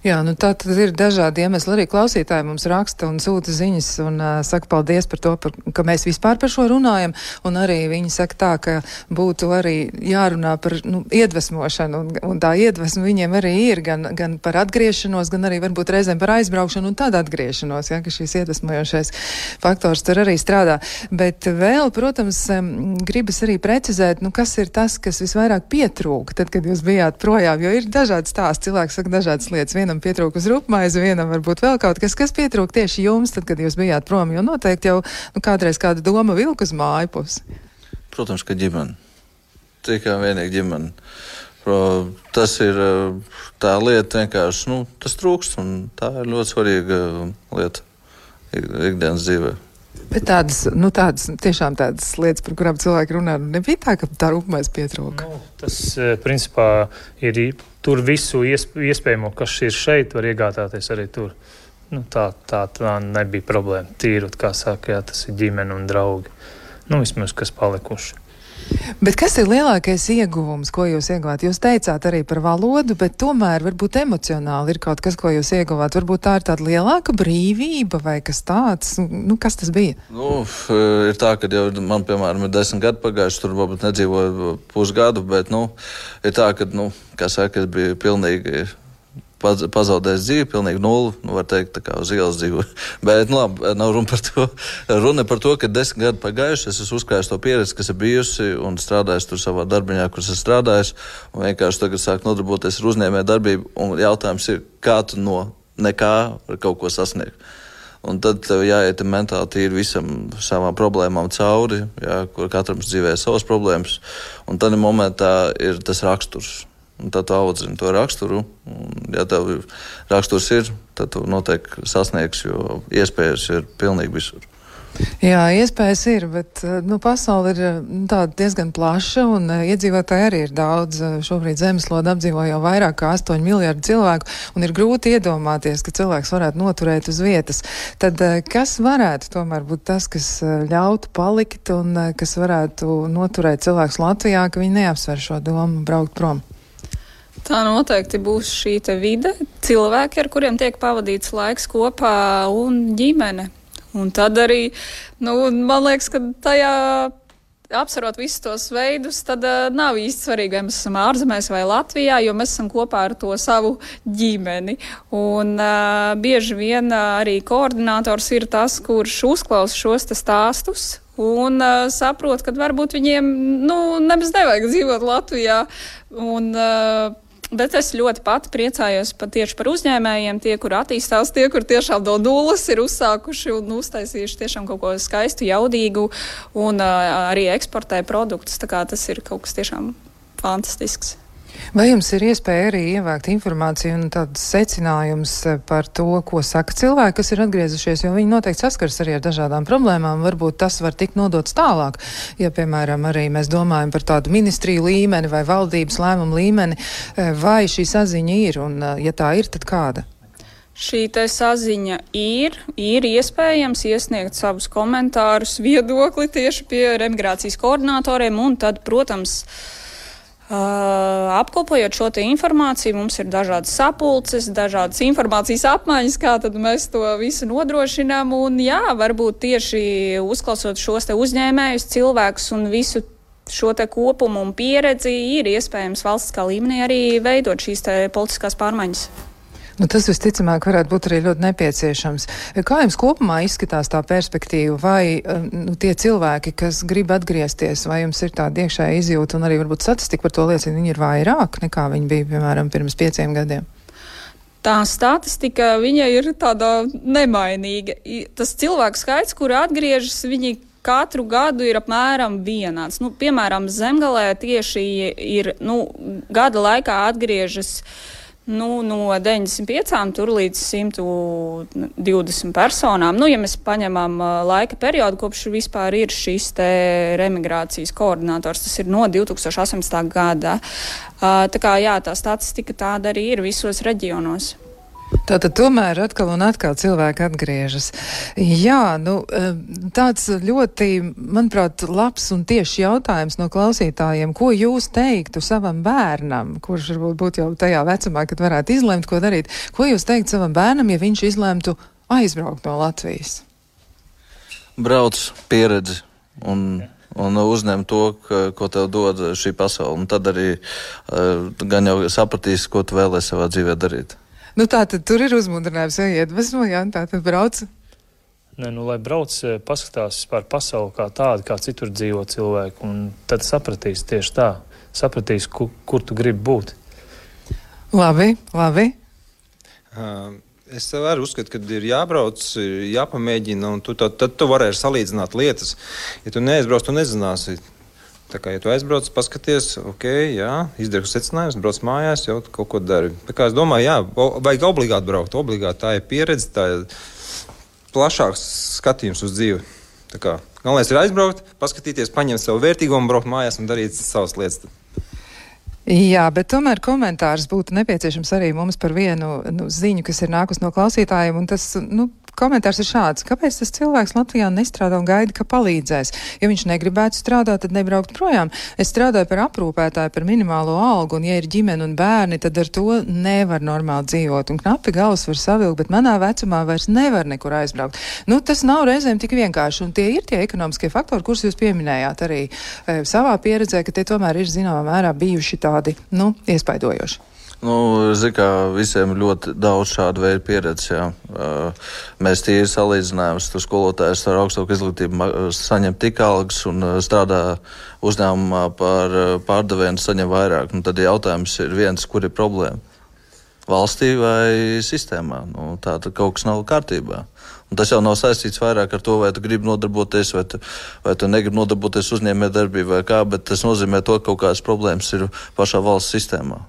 Jā, nu tā tad ir dažādi iemesli. Arī klausītāji mums raksta un sūta ziņas un saka paldies par to, ka mēs vispār par šo runājam. Un arī viņi saka tā, ka būtu arī jārunā par iedvesmošanu. Un tā iedvesma viņiem arī ir gan par atgriešanos, gan arī varbūt reizēm par aizbraukšanu un tad atgriešanos, ja, ka šīs iedvesmojošais faktors tur arī strādā. Bet vēl, protams, gribas arī precizēt, kas ir tas, kas visvairāk pietrūka tad, kad jūs bijāt projām, jo ir dažādi stāsti, cilvēki saka dažādas lietas. Vienam pietrūk uz rupmaizi, vienam varbūt vēl kaut kas pietrūk tieši jums, tad, kad jūs bijāt prom, jo noteikti jau kādreiz kāda doma vilka uz māju pusi. Protams, ka ģimene. Tikai vienīgi ģimene. Tas ir tā lieta vienkārši, tas trūkst, un tā ir ļoti svarīga lieta ikdienas dzīvē. Bet tiešām tādas lietas, par kurām cilvēki runā, nebija tā, ka tā rupmaize pietrūka. Tas, principā, ir tur visu iespējamo, kas ir šeit, var iegādāties arī tur. Tā nebija problēma. Tīrut, kā saka, jā, tas ir ģimene un draugi. Vismaz, kas palikuši. Bet kas ir lielākais ieguvums, ko jūs ieguvāt? Jūs teicāt arī par valodu, bet tomēr varbūt emocionāli ir kaut kas, ko jūs ieguvāt. Varbūt tā ir tāda lielāka brīvība vai kas tāds? Kas tas bija? Ir tā, ka jau man, piemēram, ir 10 gadi pagājuši, tur varbūt nedzīvoju pusgadu, bet, ir tā, ka, kā saka, es biju pilnīgi pazaudējis dzīvi, pilnīgi nulli, var teikt, tā kā uz ielas dzīvo. Bet, labi, nav runa par to. Runa par to, ka 10 gadi pagājuši, es esmu uzkrājis to pieredzi, kas ir bijusi un strādājis tur savā darbiņā, kur esmu strādājis, un vienkārši tagad sāk nodarboties ar uzņēmē darbību, un jautājums ir, kā tu no nekā var kaut ko sasniegt. Un tad tev jāiet mentāli tīri visam savām problēmām cauri, jā, kur katram dzīvē savas problēmas, un tad momentā ir tas raksturs. Un tad tu audzini to raksturu, un ja tev raksturs ir, tad tu noteikti sasniegsi, jo iespējas ir pilnīgi visur. Jā, iespējas ir, bet pasaule ir tāda diezgan plaša un iedzīvotāji arī ir daudz. Šobrīd zemeslodes apdzīvo jau vairāk kā 8 miljardi cilvēku un ir grūti iedomāties, ka cilvēks varētu noturēt uz vietas. Tad kas varētu tomēr būt tas, kas ļautu palikt un kas varētu noturēt cilvēkus Latvijā, ka viņi neapsver šo domu braukt prom? Tā noteikti būs šī te vide, cilvēki, ar kuriem tiek pavadīts laiks kopā un ģimene. Un tad arī, man liekas, ka tajā apsverot visus tos veidus, tad nav īsti svarīgi, vai mēs esam ārzemēs vai Latvijā, jo mēs esam kopā ar to savu ģimeni. Un bieži vien arī koordinators ir tas, kurš uzklausa šos te stāstus un saprot, ka varbūt viņiem, nemaz nevajag dzīvot Latvijā. Bet es ļoti pati priecājos tieši par uzņēmējiem, tie, kur attīstās, tie, kur tiešām no nulles ir uzsākuši un uztaisījuši tiešām kaut ko skaistu, jaudīgu un arī eksportē produktus. Tā kā tas ir kaut kas tiešām fantastisks. Vai jums ir iespēja arī ievākt informāciju un tādus secinājumus par to, ko saka cilvēki, kas ir atgriezušies, jo viņi noteikti saskars arī ar dažādām problēmām, varbūt tas var tikt nodots tālāk, ja, piemēram, arī mēs domājam par tādu ministriju līmeni vai valdības lēmumu līmeni, vai šī saziņa ir, un ja tā ir, tad kāda? Šī te saziņa ir iespējams iesniegt savus komentārus, viedokli tieši pie remigrācijas koordinatoriem, un tad, protams, apkopojot šo te informāciju, mums ir dažādas sapulces, dažādas informācijas apmaiņas, kā tad mēs to visu nodrošinām, un jā, varbūt tieši uzklausot šos te uzņēmējus, cilvēkus un visu šo te kopumu un pieredzi, ir iespējams valstiskā līmenī arī veidot šīs te politiskās pārmaiņas. Tas visticamāk varētu būt arī ļoti nepieciešams. Kā jums kopumā izskatās tā perspektīva, vai tie cilvēki, kas grib atgriezties, vai jums ir tāda iekšēja izjūta un arī varbūt statistika par to liecina, viņi ir vairāk nekā viņi bija, piemēram, pirms 5 gadiem? Tā statistika, viņa ir tāda nemainīga. Tas cilvēku skaits, kuri atgriežas, viņi katru gadu ir apmēram vienāds. Nu, piemēram, Zemgalē tieši ir gada laikā atgriežas no 95 tur līdz 120 personām. Ja mēs paņemam laika periodu, kopš vispār ir šis te remigrācijas koordinators, tas ir no 2018. gada. Tā kā jā, tā statistika tāda arī ir visos reģionos. Tātad tomēr atkal un atkal cilvēki atgriežas. Jā, tāds ļoti, manuprāt, labs un tieši jautājums no klausītājiem. Ko jūs teiktu savam bērnam, kurš varbūt būtu jau tajā vecumā, kad varētu izlemt, ko darīt? Ko jūs teiktu savam bērnam, ja viņš izlemtu aizbraukt no Latvijas? Brauc pieredzi un uzņem to, ko tev dod šī pasaule. Un tad arī gan jau sapratīs, ko tu vēlēsi savā dzīvē darīt. Tātad tur ir uzmundrinājums, ja iedvesmo, jā, tātad brauc. Nē, lai brauc, paskatās par pasauli kā tādu, kā citur dzīvo cilvēki, un tad sapratīs tieši tā. Sapratīs, kur tu gribi būt. Labi. Es arī uzskatu, ka ir jābrauc, jāpamēģina, un tad tu varēsi salīdzināt lietas. Ja tu neaizbrauc, tu nezināsi. Tā kā, ja tu aizbrauc, paskaties, izdari secinājumus, brauc mājās, jau kaut ko dari. Tā kā es domāju, vajag obligāti braukt. Obligāti tā ir pieredze, tā ir plašāks skatījums uz dzīvi. Tā kā galvenais ir aizbraukt, paskatīties, paņemt savu vērtīgo un braukt mājās un darīt savas lietas. Jā, bet tomēr komentārs būtu nepieciešams arī mums par vienu ziņu, kas ir nākus no klausītājiem, un tas, komentārs ir šāds. Kāpēc tas cilvēks Latvijā nestrādā un gaida, ka palīdzēs? Ja viņš negribētu strādāt, tad nebraukt projām. Es strādāju par aprūpētāju, par minimālo algu, un ja ir ģimene un bērni, tad ar to nevar normāli dzīvot. Un knapi galvas var savilkt, bet manā vecumā vairs nevar nekur aizbraukt. Tas nav reizēm tik vienkārši, un tie ir tie ekonomiskie faktori, kurus jūs pieminējāt arī savā pieredzē, ka tie tomēr ir zināmā mērā bijuši tādi, iespaidojoši. Visiem ir ļoti daudz šādu veidu pieredzes, jā. Mēs tīri salīdzinājums, tur skolotājs ar augstāku izglītību saņem tik algas un strādā uzņēmumā par pārdevēju un saņem vairāk. Tad jautājums ir viens, kur ir problēma? Valstī vai sistēmā? Tā tad kaut kas nav kārtībā. Un tas jau nav saistīts vairāk ar to, vai tu gribi nodarboties, vai tu negribi nodarboties uzņēmējdarbībā vai kā, bet tas nozīmē to, ka kaut kādas problēmas ir pašā valsts sistēmā.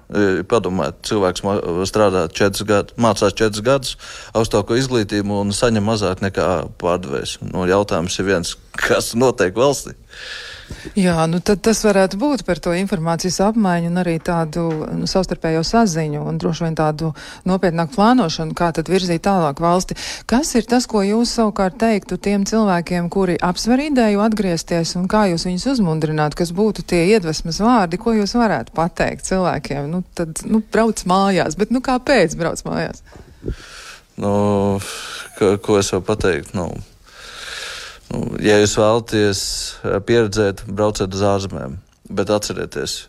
Padomājiet, cilvēks strādā 4 gadus, mācās 4 gadus augstāko izglītību un saņem mazāk nekā pārdevējs. Jautājums ir viens, kas notiek valstī? Jā, tad tas varētu būt par to informācijas apmaiņu un arī tādu savstarpējo saziņu un droši vien tādu nopietnāku plānošanu, kā tad virzīt tālāk valsti. Kas ir tas, ko jūs savukārt teiktu tiem cilvēkiem, kuri apsver ideju atgriezties, un kā jūs viņus uzmundrinātu, kas būtu tie iedvesmas vārdi, ko jūs varētu pateikt cilvēkiem? Tad brauc mājās, bet kāpēc brauc mājās? Ko es varu pateikt? Ja jūs vēlaties pieredzēt, brauciet uz ārzemēm, bet atcerieties,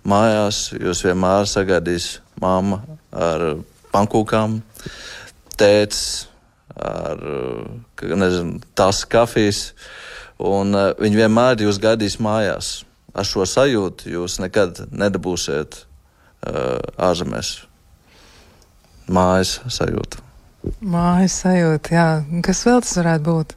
mājās jūs vienmēr sagaidīs mamma ar pankūkām, tētis ar, tas kafijas, un viņi vienmēr jūs gaidīs mājās. Ar šo sajūtu jūs nekad nedabūsiet ārzemēs. Mājas sajūta. Mājas sajūta, jā. Kas vēl tas varētu būt?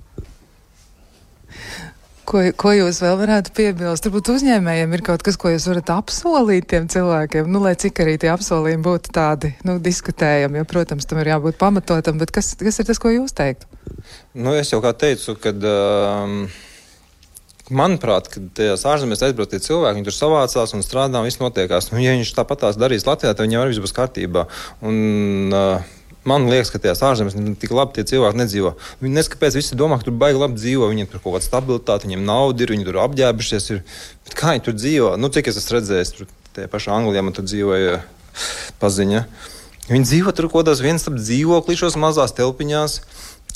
Ko jūs vēl varētu piebilst? Turbūt uzņēmējiem ir kaut kas, ko jūs varat apsolīt tiem cilvēkiem, lai cik arī tie apsolījumi būtu tādi, diskutējami, jo, protams, tam ir jābūt pamatotam, bet kas ir tas, ko jūs teiktu? Es jau kā teicu, kad, manuprāt, kad tajās ārzemēs aizbraukt tie cilvēki, viņi tur savācās un strādā un viss notiekās. Ja viņš tāpatās darīs Latvijā, tad viņam arī viss būs kārtībā. Man liekas, ka tajās ārzemēs tik labi tie cilvēki nedzīvo. Viņi neskapēc visi domā, ka tur baigi labi dzīvo, viņiem tur kaut kāda stabilitāte, viņiem nauda ir, viņi tur apģērbušies ir. Bet kā viņi tur dzīvo? Cik es esmu redzējis, tur tie pašā Anglijā man tur dzīvoja paziņa. Viņi dzīvo tur kaut kādās vienstab dzīvoklīšos, mazās telpiņās,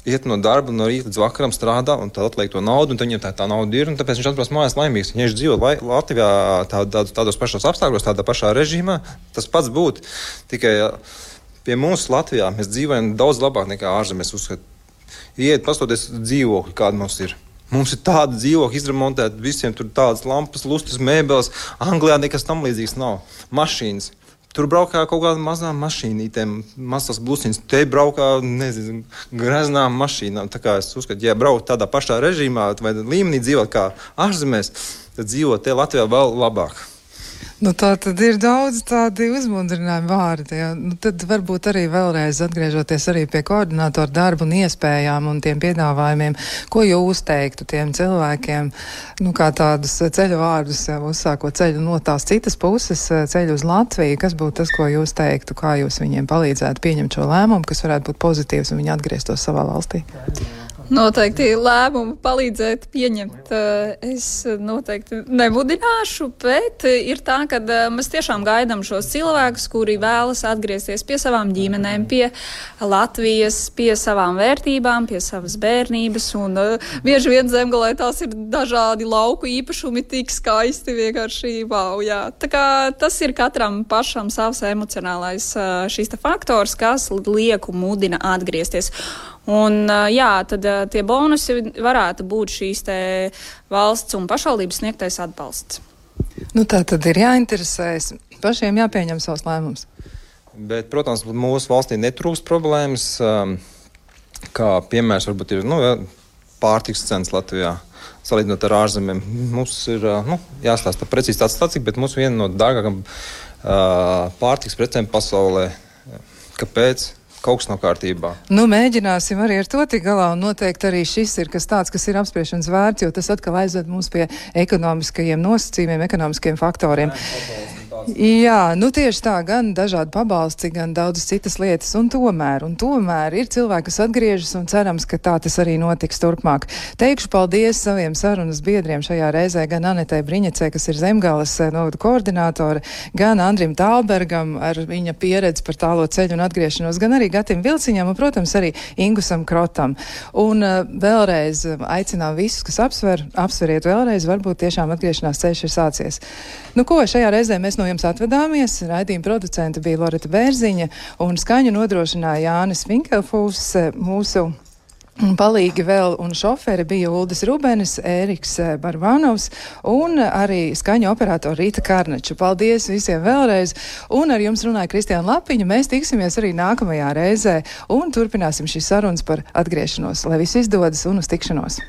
iet no darba, no rīta līdz vakaram strādā un tad atliek to naudu, un tad viņam tā nauda ir, un tāpēc viņš atbrauc mājās laimīgs. Ja viņš dzīvo Latvijā tādos pašos apstākļos, tādā pašā režīmā, tas pats būtu. Tikai pie mums Latvijā mēs dzīvojam daudz labāk nekā ārzemēs uzskata. Iet, pastoties dzīvokļi, kāda mums ir. Mums ir tāda dzīvokļa izremontēta, visiem tur tādas lampas, lustas, mēbeles. Anglijā nekas tam līdzīgs nav. Mašīnas. tur braukā kaut kādām mazām mašīnītēm, mazas blusiņas, te braukā, nezinu, graznām mašīnām. Tā kā es uzskatu, ja braukt tādā pašā režīmā vai līmenī dzīvot kā ārzemēs, tad dzīvot te Latvijā vēl labāk. Nu, tā tad ir daudz tādi uzmundrinājumi vārdi. Ja? Nu, tad varbūt arī vēlreiz atgriežoties arī pie koordinātora darba un iespējām un tiem piedāvājumiem, ko jūs teiktu tiem cilvēkiem, nu, kā tādus ceļu vārdus, ja, uzsākot ceļu no tās citas puses, ceļu uz Latviju, kas būtu tas, ko jūs teiktu, kā jūs viņiem palīdzētu pieņemt šo lēmumu, kas varētu būt pozitīvs un viņi atgrieztos savā valstī? Noteikti lēmumu palīdzēt pieņemt es noteikti nemudināšu, bet ir tā, ka mēs tiešām gaidām šos cilvēkus, kuri vēlas atgriezties pie savām ģimenēm, pie Latvijas, pie savām vērtībām, pie savas bērnības, un bieži vien Zemgalē tās ir dažādi lauku īpašumi, tik skaisti vienkārši, wow, jā. Tā kā tas ir katram pašam savs emocionālais šis faktors, kas lieku mudina atgriezties. Un, jā, tad tie bonusi varētu būt šīs te valsts un pašvaldības sniegtais atbalsts. Nu, tā tad ir jāinteresējas, pašiem jāpieņem savs lēmums. Bet, protams, mūsu valstī netrūks problēmas, kā piemērs varbūt ir pārtiks cenas Latvijā, salīdzinot ar ārzemēm. Mums ir jāstāsta precīzi tāds statistika, bet mums viena no dārgākām pārtiks precēm pasaulē. Kāpēc? Kaut kas nav kārtībā. Nu, mēģināsim arī ar to tik galā, un noteikti arī šis ir kas tāds, kas ir apspriešanas vērts, jo tas atkal aizved mums pie ekonomiskajiem nosacījumiem, ekonomiskajiem faktoriem. Jā, nu tieši tā, gan dažādi pabalsti, gan daudzas citas lietas, un tomēr ir cilvēki, kas atgriežas, un cerams, ka tā tas arī notiks turpmāk. Teikšu paldies saviem sarunas biedriem šajā reizē, gan Anetei Briņecē, kas ir Zemgales novada koordinātore, gan Andrim Tālbergam ar viņa pieredzi par tālo ceļu un atgriešanos, gan arī Gatim Vilciņam, un, protams, arī Ingusam Krotam. Un vēlreiz aicinām visus, kas apsveriet vēlreiz, varbūt tiešām atgriešanās ceļš ir sācies. Nu ko, šajā reizē mēs no jums atvedāmies. Raidījuma producente bija Loreta Bērziņa un skaņu nodrošināja Jānis Vinkelfūs. Mūsu palīgi vēl un šoferi bija Uldis Rubenis, Ēriks Barvanovs un arī skaņu operatora Rīta Karneča. Paldies visiem vēlreiz. Un ar jums runāja Kristiāna Lapiņa. Mēs tiksimies arī nākamajā reizē un turpināsim šīs sarunas par atgriešanos. Lai viss izdodas un uz tikšanos!